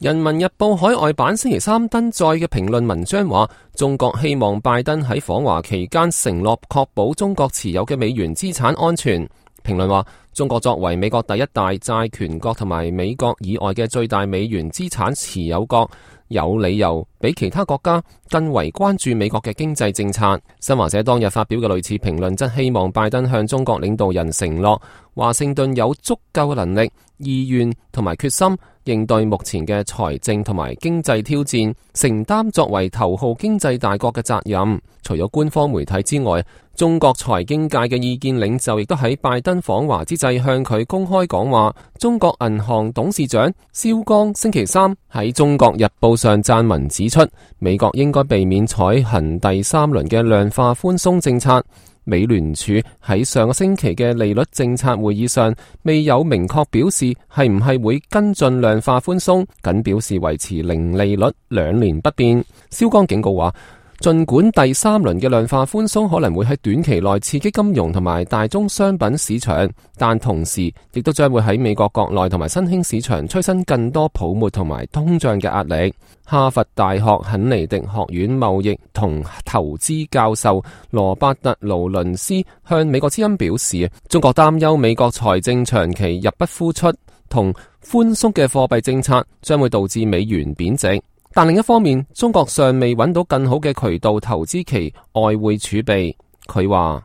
人民日報海外版星期三登載嘅評論文章話，中國希望拜登喺訪華期間承諾確保中國持有嘅美元資產安全。評論話，中國作為美國第一大債權國同埋美國以外嘅最大美元資產持有國，有理由比其他國家更為關注美國嘅經濟政策。新華社當日發表嘅類似評論，則希望拜登向中國領導人承諾，華盛頓有足夠嘅能力、意願同埋決心應對目前嘅財政同埋經濟挑戰，承擔作為頭號經濟大國嘅責任。除咗官方媒體之外，中國財經界嘅意見領袖亦都喺拜登訪華之際向佢公開講話。中國銀行董事長肖鋼星期三喺《中國日報》上撰文指出，美國應該避免採行第三輪嘅量化寬鬆政策。美聯儲喺上個星期嘅利率政策會議上未有明確表示係唔係會跟進量化寬鬆，僅表示維持零利率2年不變。肖鋼警告話，儘管第三輪嘅量化寬鬆可能會喺短期內刺激金融同埋大宗商品市場，但同時亦都將會喺美國國內同埋新興市場催生更多泡沫同埋通脹嘅壓力。哈佛大學肯尼迪學院貿易同投資教授羅伯特勞倫斯向美國之音表示，中國擔憂美國財政長期入不敷出，同寬鬆嘅貨幣政策將會導致美元貶值。但另一方面，中國尚未揾到更好嘅渠道投資其外匯儲備。佢話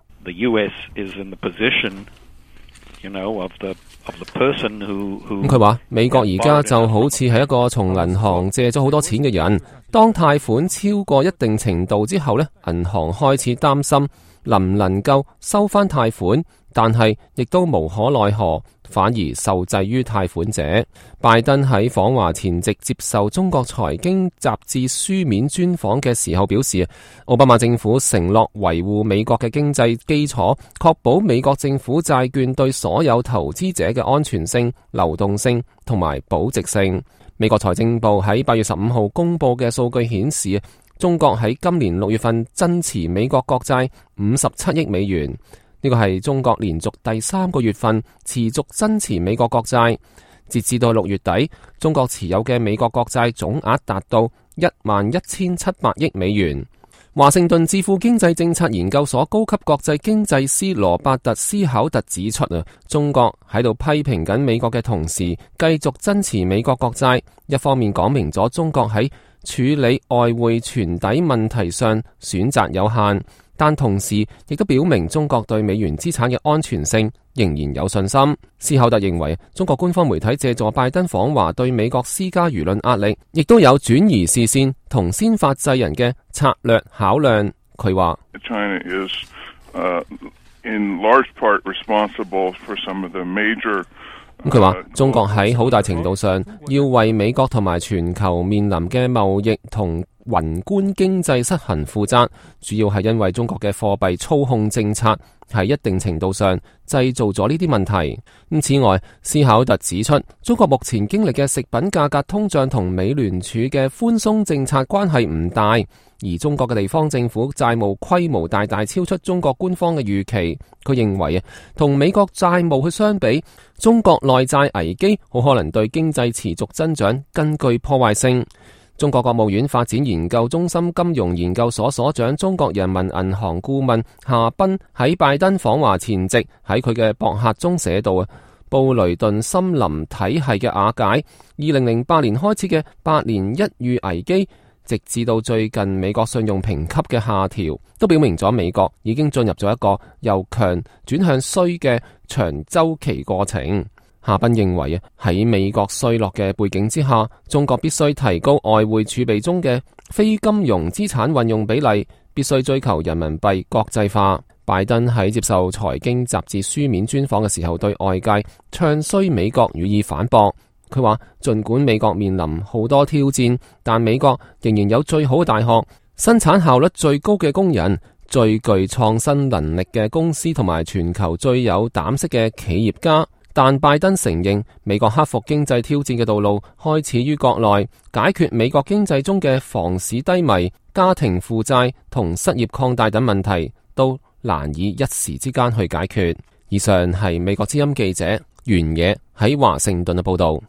佢話美國而家就好似係一個從銀行借咗好多錢嘅人，當貸款超過一定程度之後呢，銀行開始擔心能唔能夠收翻貸款，但係亦都無可奈何，反而受制於貸款者。拜登喺訪華前夕接受中國財經雜誌書面專訪嘅時候表示，奧巴馬政府承諾維護美國嘅經濟基礎，確保美國政府債券對所有投資者嘅安全性、流動性同埋保值性。美國財政部喺8月15號公佈嘅數據顯示，中國喺今年6月份增持美國國債57億美元，呢個係中國連續第3個月份持續增持美國國債。截至到6月底，中國持有嘅美國國債總額達到11,700億美元。華盛頓智庫經濟政策研究所高級國際經濟師羅伯特斯考特指出，中國喺度批評緊美國嘅同時，繼續增持美國國債，一方面講明咗中國喺處理外匯存底問題上選擇有限，但同時亦都表明中國對美元資產嘅安全性仍然有信心。斯考特認為，中國官方媒體借助拜登訪華對美國施加輿論壓力，亦都有轉移視線同先發制人嘅策略考量。佢話China is, in large part responsible for some of the major佢話中國喺好大程度上要為美國同埋全球面臨嘅貿易同宏觀經濟失衡負責，主要係因為中國嘅貨幣操控政策喺一定程度上製造咗呢啲問題。此外，斯考特指出，中國目前經歷嘅食品價格通脹同美聯儲嘅寬鬆政策關係唔大，而中國嘅地方政府債務規模大大超出中國官方嘅預期。佢認為同美國債務去相比，中國內債危機好可能對經濟持續增長更具破壞性。中國國務院發展研究中心金融研究所所長、中國人民銀行顧問夏斌喺拜登訪華前夕喺佢嘅博客中寫道，布雷頓森林體系嘅瓦解，2008年開始嘅8年一遇危機，直至到最近美國信用評級嘅下調，都表明咗美國已經進入咗一個由強轉向衰嘅長周期過程。夏斌認為喺美國衰落嘅背景之下，中國必須提高外匯儲備中嘅非金融資產運用比例，必須追求人民幣國際化。拜登喺接受財經雜誌書面專訪嘅時候，對外界唱衰美國予以反駁。佢話，儘管美國面臨好多挑戰，但美國仍然有最好嘅大學、生產效率最高嘅工人、最具創新能力嘅公司同埋全球最有膽識嘅企業家。但拜登承認，美國克服經濟挑戰嘅道路開始於國內，解決美國經濟中嘅房市低迷、家庭負債同失業擴大等問題，都難以一時之間去解決。以上係美國之音記者袁野喺華盛頓嘅報道。